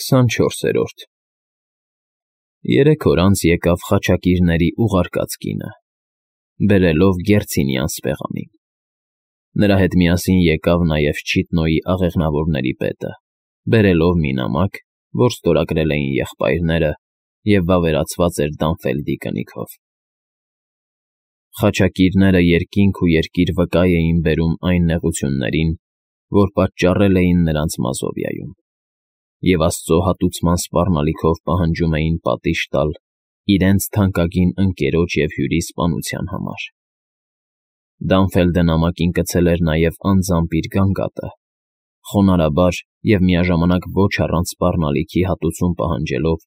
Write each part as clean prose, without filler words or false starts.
24-րդ Երեք օր անց եկավ խաչակիրների ուղարկած կինը, բերելով Գերցինի անսպեղանին. նրա հետ միասին եկավ նաև Չիտնոյի աղեղնավորների պետը, բերելով մի նամակ, որ ստորագրել էին եղբայրները և վավերացված էր Դանֆելդի կնիքով։ Խաչակիրները երկինք ու երկիր վկայ էին բերում այն նեղություններին, որ պատճառել էին նրանց Մազովիայում, և Աստծո հատուցման սպառնալիքով պահանջում էին պատիժ տալ իրենց թանկագին ընկերոջ և հյուրի սպանության համար։ Դանֆելդը նամակին գցել էր նաև անձամբ իր գանգատը, խոնարհաբար և միաժամանակ ոչ առանց սպառնալիքի հատուցում պահանջելով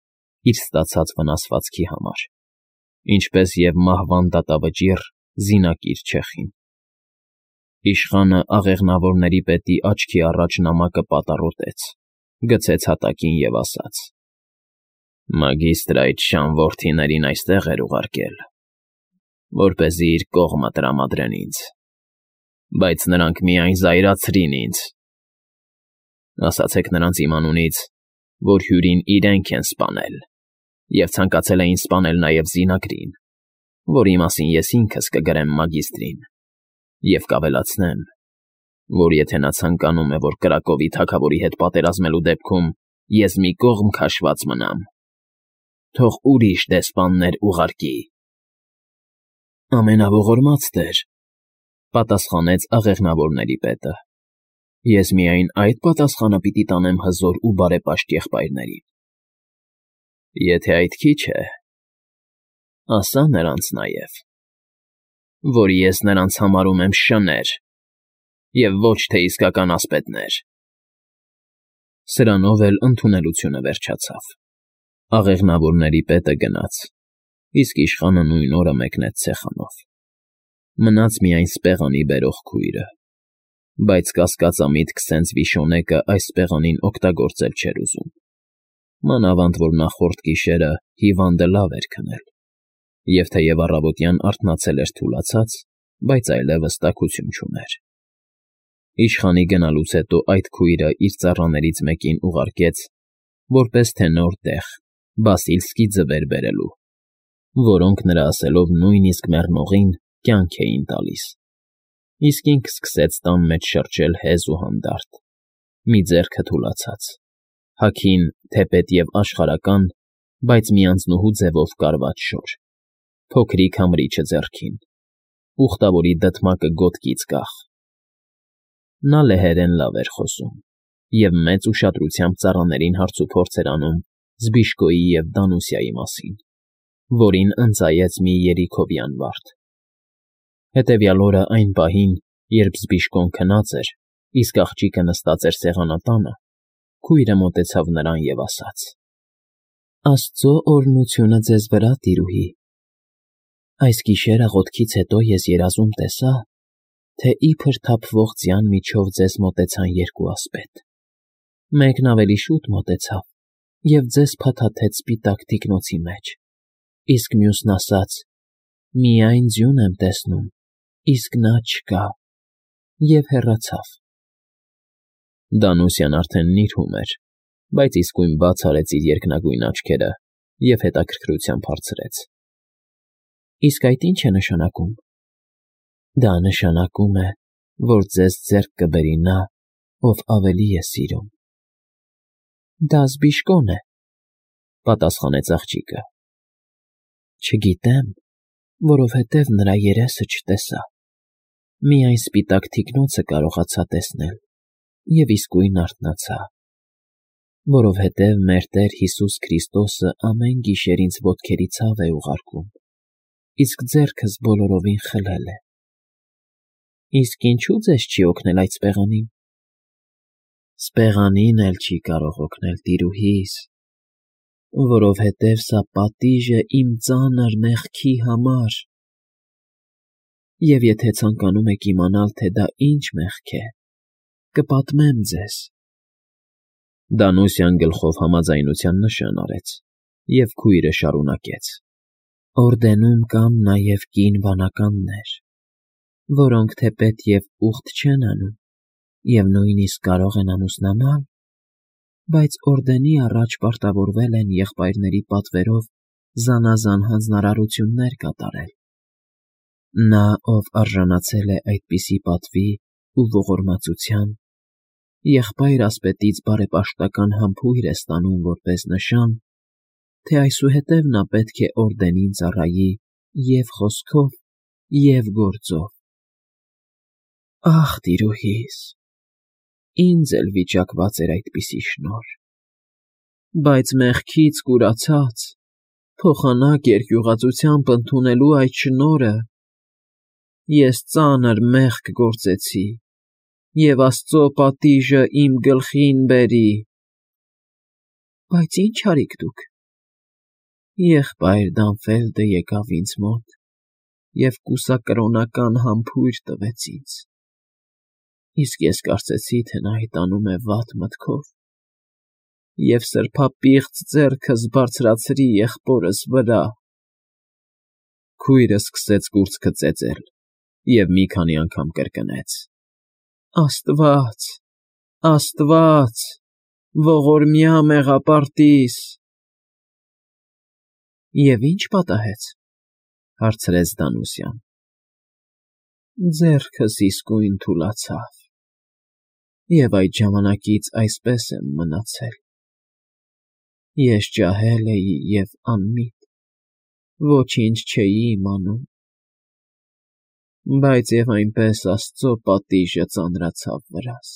իր ստացած վնասվածքի համար, ինչպես և մահվան դատավճիռ զինակիր չեխին։ Իշխանը աղեղնավորների պետի աչքի առաջ նամակը պատառոտեց, գցեց հատակին և ասաց. «Մագիստրը այդ շան որդիներին այստեղ էր ուղարկել, որպեսզի իր կողմը տրամադրեն ինձ, բայց նրանք միայն զայրացրին ինձ։ Ասացեք նրանց իմ անունից, որ հյուրին իրենք են սպանել և ցանկացել էին սպանել նաև զինակրին, որի մասին ես ինքս կգրեմ մագիստրին և կավելացնեմ, որ եթե նա ցանկանում է, որ Կրակովի թագավորի հետ պատերազմելու դեպքում ես մի կողմ քաշված մնամ, թող ուրիշ դեսպաններ ուղարկի»։ «Ամենաողորմած տեր,֊ պատասխանեց աղեղնավորների պետը,֊ ես միայն այդ պատասխանը պիտի տանեմ հզոր ու բարեպաշտ եղբայրներին։ Եթե այդ քիչ է, ասա նրանց նաև, որ ես նրանց համարում եմ շներ և ոչ թե իսկական ասպետներ»։ Սրանով էլ ընդունելությունը վերջացավ։ Աղեղնավորների պետը գնաց, իսկ իշխանը նույն օրը մեկնեց ցեխանով։ Մնաց միայն սպեղանի բերող քույրը, բայց կասկածամիտք սենց Վիշոնեկը այս սպեղանին օգտագործել չէր ուզում, մանավանդ որ նախորդ գիշերը հիվանդը լավ էր քնել, և թեև առավոտյան արթնացել էր թուլացած, բայց այլևս տաքություն չուներ։ Իշխանի գնալուց հետո այդ քույրը իր ծառաներից մեկին ուղարկեց, որպես թե նոր տեղ Բասիլսկի ձվեր բերելու, որոնք նրա ասելով նույնիսկ մեռնողին կյանք էին տալիս, իսկ ինքը սկսեց տան մեջ շրջել հեզ ու հանդարտ, մի ձեռքը թուլացած, հագին թեպետ և աշխարհական, բայց մի անձնուհու ձևով կարված շոր, փոքրիկ համրիչը ձեռքին, ուխտավորի դդմակը գոտկից կախ։ Նա լեհերեն լավ էր խոսում և մեծ ուշադրությամբ ծառաներին հարցուփորձ էր անում Զբիշկոյի և Դանուսիայի մասին, որին ընծայեց մի երիքովյան վարդ։ Հետևյալ օրը այն պահին, երբ Զբիշկոն քնած էր, իսկ աղջիկը նստած էր սեղանատանը, քույրը մոտեցավ նրան և ասաց. «Աստծո օրհնությունը ձեզ վրա, տիրուհի։ Այս գիշեր աղոթքից հետո ես երազում տեսա, թե իբր թափվող ձյան միջով ձեզ մոտեցան երկու ասպետ. մեկն ավելի շուտ մոտեցավ և ձեզ փաթաթեց սպիտակ թիկնոցի մեջ, իսկ մյուսն ասաց. «Միայն ձյուն եմ տեսնում, իսկ նա չկա», և հեռացավ»։ Դանուսյան արդեն նիրհում էր, բայց իսկույն բաց արեց իր երկնագույն աչքերը և հետաքրքրությամբ հարցրեց. «Իսկ այդ ի՞նչ է նշանակում»։ «Դա նշանակում է, որ ձեզ ձեռք կբերի նա, ով ավելի է սիրում»։ «Դա Զբիշկոն է,֊ պատասխանեց աղջիկը։ «Չգիտեմ, որովհետև նրա երեսը չտեսա, միայն սպիտակ թիկնոցը կարողացա տեսնել և իսկույն արթնացա, որովհետև մեր Տեր Հիսուս Քրիստոսը ամեն գիշեր ինձ ոտքերի ցավ է ուղարկում, իսկ ձեռքս բոլորովին խլել է»։ «Իսկ ինչո՞ւ ձեզ չի օգնել այդ սպեղանին»։ «Սպեղանին էլ չի կարող օգնել, տիրուհիս, որովհետև սա պատիժ է իմ ծանր մեղքի համար, և եթե ցանկանում եք իմանալ, թե դա ինչ մեղք է, կպատմեմ ձեզ»։ Դանուսյան գլխով համաձայնության նշան արեց, և քույրը շարունակեց. «Օրդենում կան նաև կին վանականներ, որոնք թեպետ և ուխտ չեն անում և նույնիսկ կարող են ամուսնանալ, Բայց օրդենի առաջ պարտավորվել են եղբայրների պատվերով զանազան հանձնարարություններ կատարել։ Նա, ով արժանացել է այդպիսի պատվի ու ողորմածության, եղբայր ասպետից բարեպաշտական համբույր է ստանում որպես նշան, թե այսուհետև նա պետք է օրդենին ծառայի և խոսքով, և գործով։ Ախ, տիրուհիս, ինձ էլ վիճակված էր այդպիսի շնորհ, բայց մեղքից կուրացած, փոխանակ երկյուղածությամբ ընդունելու այդ շնորհը, ես ծանր մեղք գործեցի, և Աստծո պատիժը իմ գլխին բերի։ Բայց ի՞նչ արիք դուք։ Եղբայր Դանֆելդը եկավ ինձ մոտ և կուսակրոնական համբույր տվեց ինձ, իսկ ես կարծեցի, թե նա հետանում է վատ մտքով, և սրբապիղծ ձեռքս բարձրացրի եղբորս վրա։ Քույրը սկսեց կուրծքը ծեծել և մի քանի անգամ կրկնեց. «Աստված, Աստված, ողորմյա մեղապարտիս»։ Եվ ի՞նչ պատահեց, հարցրեց Դանուսյան։ Ձեռքս իսկույն թուլացավ, և այդ ժամանակից այսպես եմ մնացել։ Ես ջահել էի և անմիտ, ոչինչ չէի իմանում, բայց և այնպես Աստծո պատիժը ծանրացավ վրաս։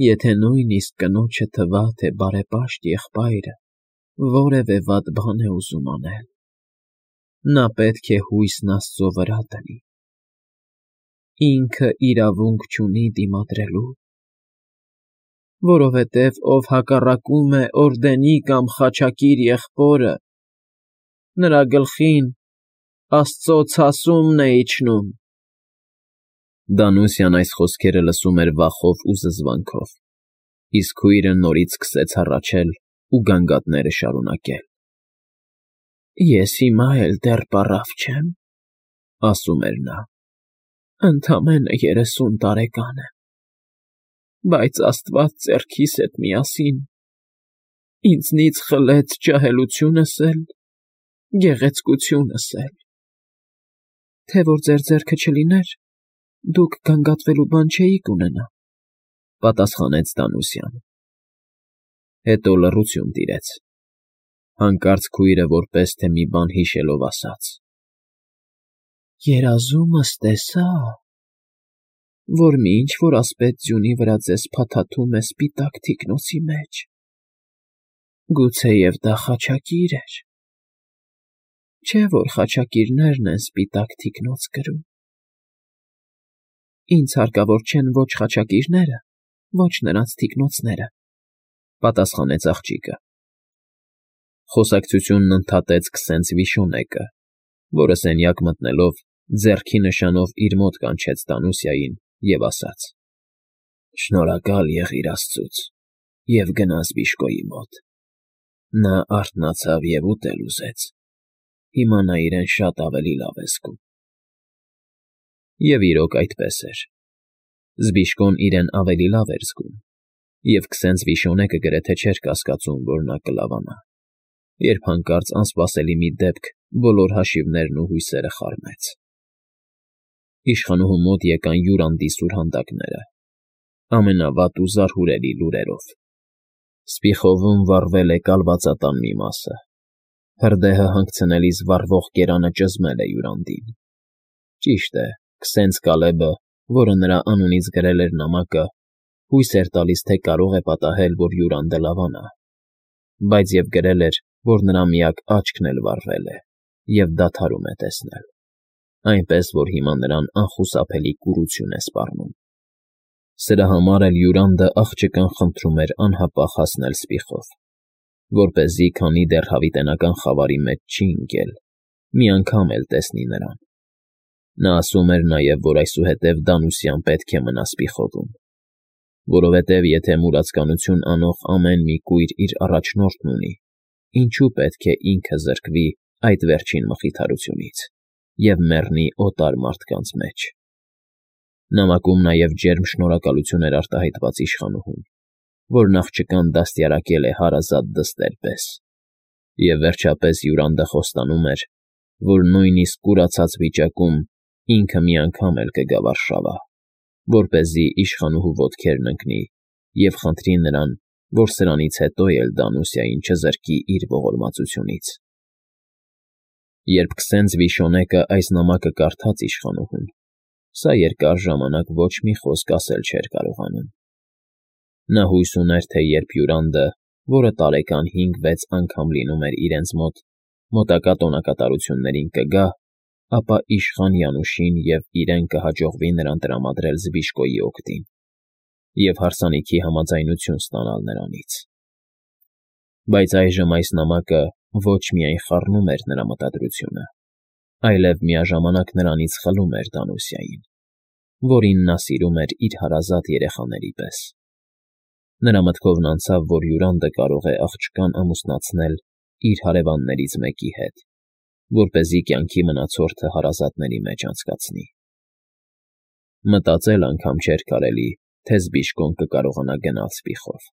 Եթե նույնիսկ կնոջը թվա, թե բարեպաշտ եղբայրը որևէ վատ բան է ուզում անել, նա պետք է հույսն Աստծո վրա դնի։ Ինքը իրավունք չունի դիմադրելու, որովհետև ով հակառակում է օրդենի կամ խաչակիր եղբորը, նրա գլխին Աստծո ցասումն է իջնում։ Դանուսյան այս խոսքերը լսում էր վախով ու զզվանքով, իսկ քույրը նորից սկսեց հառաչել ու գանգատները շարունակել։ Ես հիմա էլ դեռ պառավ չեմ, ասում էր նա, ընդամենը 30 տարեկան եմ, բայց Աստված ձեռքիս հետ միասին ինձնից խլեց ջահելությունս էլ, գեղեցկությունս էլ։ Թե որ ձեր ձեռքը չլիներ, դուք գանգատվելու բան չէիք ունենա, պատասխանեց Դանուսյանը։ Հետո լռություն տիրեց։ Հանկարծ քույրը որպես թե մի բան հիշելով ասաց. Երազումս տեսա, որ մի ինչ-որ ասպետ ձյունի վրա ձեզ փաթաթում է սպիտակ թիկնոցի մեջ։ Գուցեև դա խաչակիր էր։ Չէ՞ որ խաչակիրներն են սպիտակ թիկնոց կրում։ Ինձ հարկավոր չեն ոչ խաչակիրները, ոչ նրանց թիկնոցները, պատասխանեց աղջիկը։ Խոսակցությունն ընդհատեց քսենց Վիշոնեկը, որը սենյակ մտնելով ձեռքի նշանով իր մոտ կանչեց Դանուսյային և ասաց. Շնորհակալ եղիր Աստծուց և գնաս Բիշկոյի մոտ։ Նա արթնացավ և ուտել ուզեց։ Հիմա նա իրեն շատ ավելի լավ է զգում։ Եվ իրոք այդպես էր։ Զբիշկոն իրեն ավելի լավ էր զգում, և քսենց Վիշոնեկը գրեթե չէր կասկածում, որ նա կլավանա, երբ հանկարծ անսպասելի մի դեպք բոլոր հաշիվներն ու հույսերը խառնեց։ Իշխանուհու մոտ եկան յուրանդի սուրհանդակները, ամենավատ ու զարհուրելի լուրերով։ Սպիխովում վառվել է կալվածատան մի մասը, հրդեհը հանգցնելիս վառվող կերանը ճզմել է յուրանդին։ Ճիշտ է, քսենց Կալեբը, որը նրա անունից գրել էր նամակը, հույս էր տալիս, թե կարող է պատահել, որ յուրանդը լավանա, բայց և գրել էր, որ նրա միակ աչքն էլ վառվել է և դադարում է տեսնել, այնպես որ հիմա նրան անխուսափելի կուրություն է սպառնում։ Սրա համար էլ յուրանդը աղջկան խնդրում էր անհապաղ հասնել Սպիխով, որպեսզի, քանի դեռ հավիտենական խավարի մեջ չի ընկել, մի անգամ էլ տեսնի նրան։ Նա ասում էր նաև, որ այսուհետև Դանուսյան պետք է մնա Սպիխովում, որովհետև եթե մուրացկանություն անող ամեն մի կույր իր առաջնորդն ունի, ինչու պետք է ինքը զրկվի այդ վերջին մխիթարությունից և մեռնի օտար մարդկանց մեջ։ Նամակում նաև ջերմ շնորհակալություն էր արտահայտված իշխանուհուն, որն աղջկան դաստիարակել է հարազատ դստեր պես, և վերջապես Յուրանդը խոստանում էր, որ նույնիսկ կուրացած վիճակում ինքը մի անգամ էլ կգա Վարշավա, որպեսզի իշխանուհու ոտքերն ընկնի և խնդրի նրան, որ սրանից հետո էլ Դանուսիային չզրկի իր ողորմածությունից։ Երբ Քսենծ Վիշոնեկը այս նամակը կարդաց իշխանուհուն, սա երկար ժամանակ ոչ մի խոսք ասել չէր կարողանում։ Նա հույս ուներ, թե երբ Յուրանդը, որը տարեկան 5-6 անգամ լինում էր իրենց մոտ, մոտակա տոնակատարություններին կգա, ապա իշխան Յանուշին և իրեն կհաջողվի նրան տրամադրել Զբիշկոյի օգտին և հարսանիքի համաձայնություն ստանալ նրանից։ Բայց այժմ այս նամակը ոչ միայն խառնում էր նրա մտադրությունը, այլև միաժամանակ նրանից խլում էր Դանուսիային, որին նա սիրում էր իր հարազատ երեխաների պես։ Նրա մտքովն անցավ, որ Յուրանդը կարող է աղջկան ամուսնացնել իր հարևաններից մեկի հետ, որպեսզի կյանքի մնացորդը հարազատների մեջ անցկացնի։ Մտածել անգամ չէր կարելի, թե Զբիշկոն կկարողանա գնալ Սպիխով,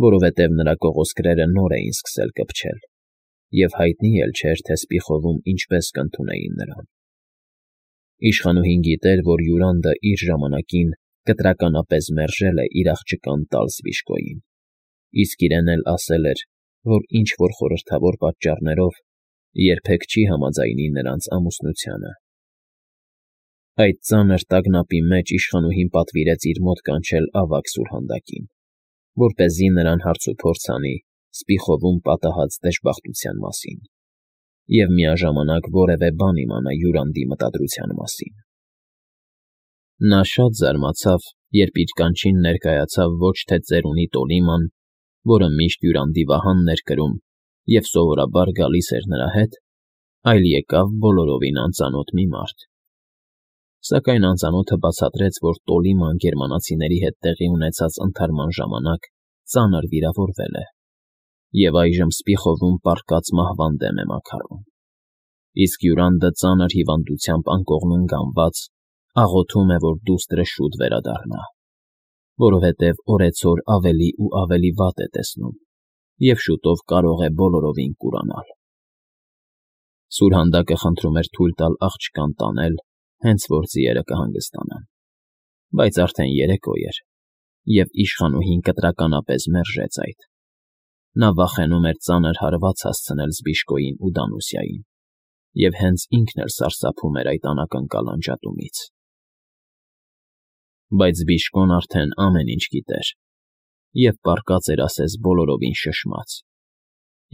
որովհետև նրա կողոսկրերը նոր էին սկսել կպչել, և հայտնի էլ չէր, թե Սպիխովում ինչպես կընդունեին նրան։ Իշխանուհին գիտեր, որ Յուրանդը իր ժամանակին կտրականապես մերժել է իր աղջկան տալ Զբիշկոյին, իսկ իրեն էլ ասել էր, որ ինչ-որ խորհրդավոր պատճառներով երբեք չի համաձայնի նրանց ամուսնությանը։ Այդ ծանր տագնապի մեջ իշխանուհին պատվիրեց իր մոտ կանչել ավագ սուրհանդակին, որպեսզի նրան հարցուփորձ անի Սպիխովում պատահած դժբախտության մասին և միաժամանակ որևէ բան իմանա Յուրանդի մտադրության մասին։ Նա շատ զարմացավ, երբ իր կանչին ներկայացավ ոչ թե ծերունի Տոլիման, որը միշտ Յուրանդի վահանն էր կրում և սովորաբար գալիս էր նրա հետ, այլ եկավ բոլորովին անծանոթ մի մարդ։ Սակայն անծանոթը բացատրեց, որ Տոլիման գերմանացիների հետ տեղի ունեցած ընդհարման ժամանակ ծանր վիրավորվել է և այժմ Սպիխովում պառկած մահվան դեմ է մաքարում, իսկ Յուրանդը ծանր հիվանդությամբ անկողնում գանված աղոթում է, որ դուստրը շուտ վերադառնա, որովհետև օրեցօր ավելի ու ավելի վատ է տեսնում և շուտով կարող է բոլորովին կուրանալ։ Սուրհանդակը խնդրում էր թույլ տալ աղջկան տանել, հենց որ ձիերը կհանգստանան, բայց արդեն երեկո էր, և իշխանուհին կտրականապես մերժեց այդ։ Նա վախենում էր ծանր հարված հասցնել Զբիշկոյին ու Դանուսիային, և հենց ինքն էլ սարսափում էր այդ անակնկալ անջատումից։ Բայց Զբիշկոն արդեն ամեն ինչ գիտեր և պառկած էր ասես բոլորովին շշմած,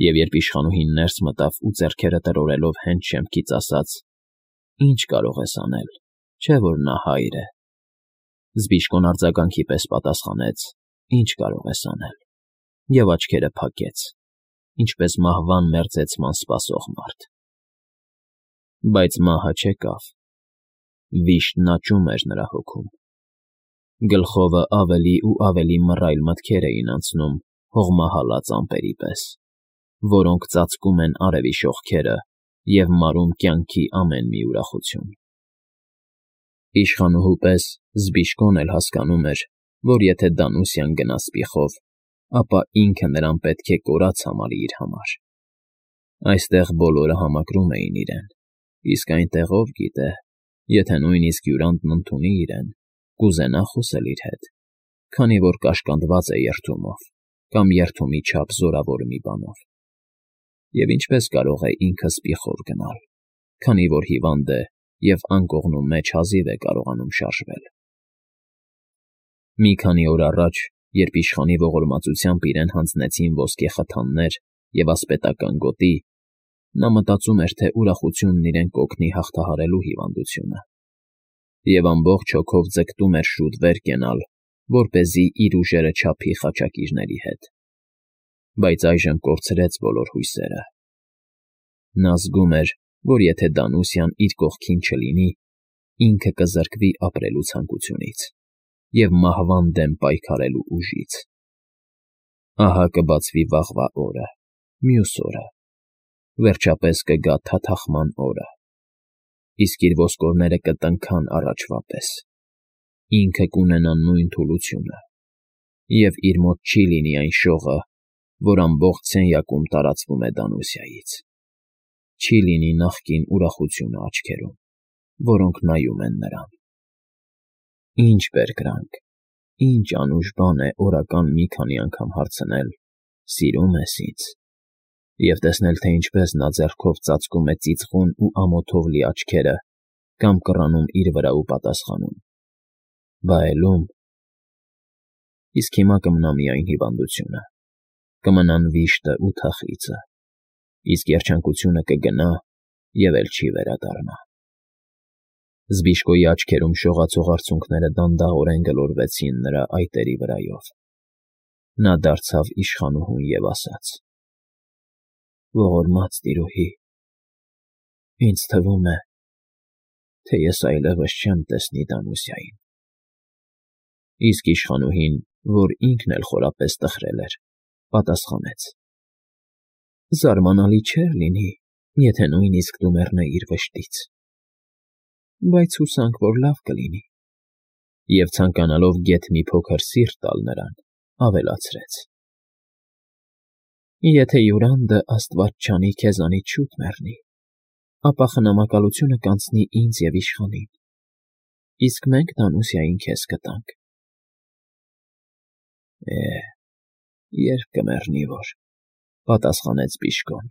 և երբ իշխանուհին ներս մտավ ու ձեռքերը տրորելով հենց շեմքից ասաց. «Ինչ կարող ես անել, չէ՞ որ նա հայր է», Զբիշկոն արձագանքի պես պատասխանեց. «Ինչ կարող ես անել» և աչքերը փակեց, ինչպես մահվան մերձեցման սպասող մարդ։ Բայց մահը չեկավ։ Վիշտն աճում էր նրա հոգում։ Գլխովը ավելի ու ավելի մռայլ մտքեր էին անցնում հողմահալած ամպերի պես, որոնք ծածկում են արևի շողքերը և մարում կյանքի ամեն մի ուրախություն։ Իշխանուհու պես Զբիշկոն էլ հասկանում էր, որ եթե Դանուսիան գնա Սպիխով, ապա ինքը նրան պետք է կորած համարի իր համար։ Այստեղ բոլորը համակրում էին իրեն, իսկ այնտեղ ով գիտե, եթե նույնիսկ Յուրանդն ընդունի իրեն, կուզենա խոսել իր հետ, քանի որ կաշկանդված է երդումով կամ երդումի չափ զորավոր մի բանով։ Եվ ինչպես կարող է ինքը Սպիխով գնալ, քանի որ հիվանդ է և անկողնու մեջ հազիվ է կարողանում շարժվել։ Մի քանի օր առաջ, երբ իշխանի ողորմածությամբ իրեն հանձնեցին ոսկե խթաններ և ասպետական գոտի, նա մտածում էր, թե ուրախությունն իրեն կօգնի հաղթահարելու հիվանդությունը, և ամբողջ հոգով ձգտում էր շուտ վեր կենալ, որպեսզի իր ուժերը չափի խաչակիրների հետ։ Բայց այժմ կորցրեց բոլոր հույսերը։ Նա զգում էր, որ եթե Դանուսիան իր կողքին չլինի, ինքը կզրկվի ապրելու ցանկությունից և մահվան դեմ պայքարելու ուժից։ Ահա կբացվի վաղվա օրը, մյուս օրը, վերջապես կգա թաթախման օրը, իսկ իր ոսկորները կտնքան առաջվա պես։ Ինքը կունենա նույն թուլությունը, և իր մոտ չի լինի այն շողը, որ ամբողջ սենյակում տարածվում է Դանուսիայից, չի լինի նախկին ուրախությունը աչքերում, որոնք նայում են նրան։ Ինչ բերկրանք, ինչ անուշ բան է օրական մի քանի անգամ հարցնել. «Սիրո՞ւմ ես ինձ», և տեսնել, թե ինչպես նա ձեռքով ծածկում է ծիծաղուն ու ամոթով լի աչքերը կամ կռանում իր վրա ու պատասխանում. «Բա էլ ում»։ Իսկ հիմա կմնա միայն հիվանդությունը, կմնան վիշտն ու թախիծը, իսկ երջանկությունը կգնա և էլ չի վերադառնա։ Զբիշկոյի աչքերում շողացող արցունքները դանդաղորեն գլորվեցին նրա այտերի վրայով։ Նա դարձավ իշխանուհուն և ասաց. «Ողորմած տիրոհի, ինձ թվում է, թե ես այլևս չեմ տեսնի Դանուսիային»։ Իսկ իշխանուհին, որ ինքն էլ խորապես տխրել էր, պատասխանեց. «Զարմանալի չէր լինի, եթե նույնիսկ դու մեռնեիր վշտից, բայց հուսանք, որ լավ կլինի», և ցանկանալով գեթ մի փոքր սիրտ տալ նրան, ավելացրեց. «Եթե Յուրանդը, աստված չանի, քեզանից շուտ մեռնի, ապա խնամակալությունը կանցնի ինձ և իշխանին, իսկ մենք Դանուսիային քեզ կտանք»։ Երբ կմեռնի որ,֊ պատասխանեց բժիշկոն։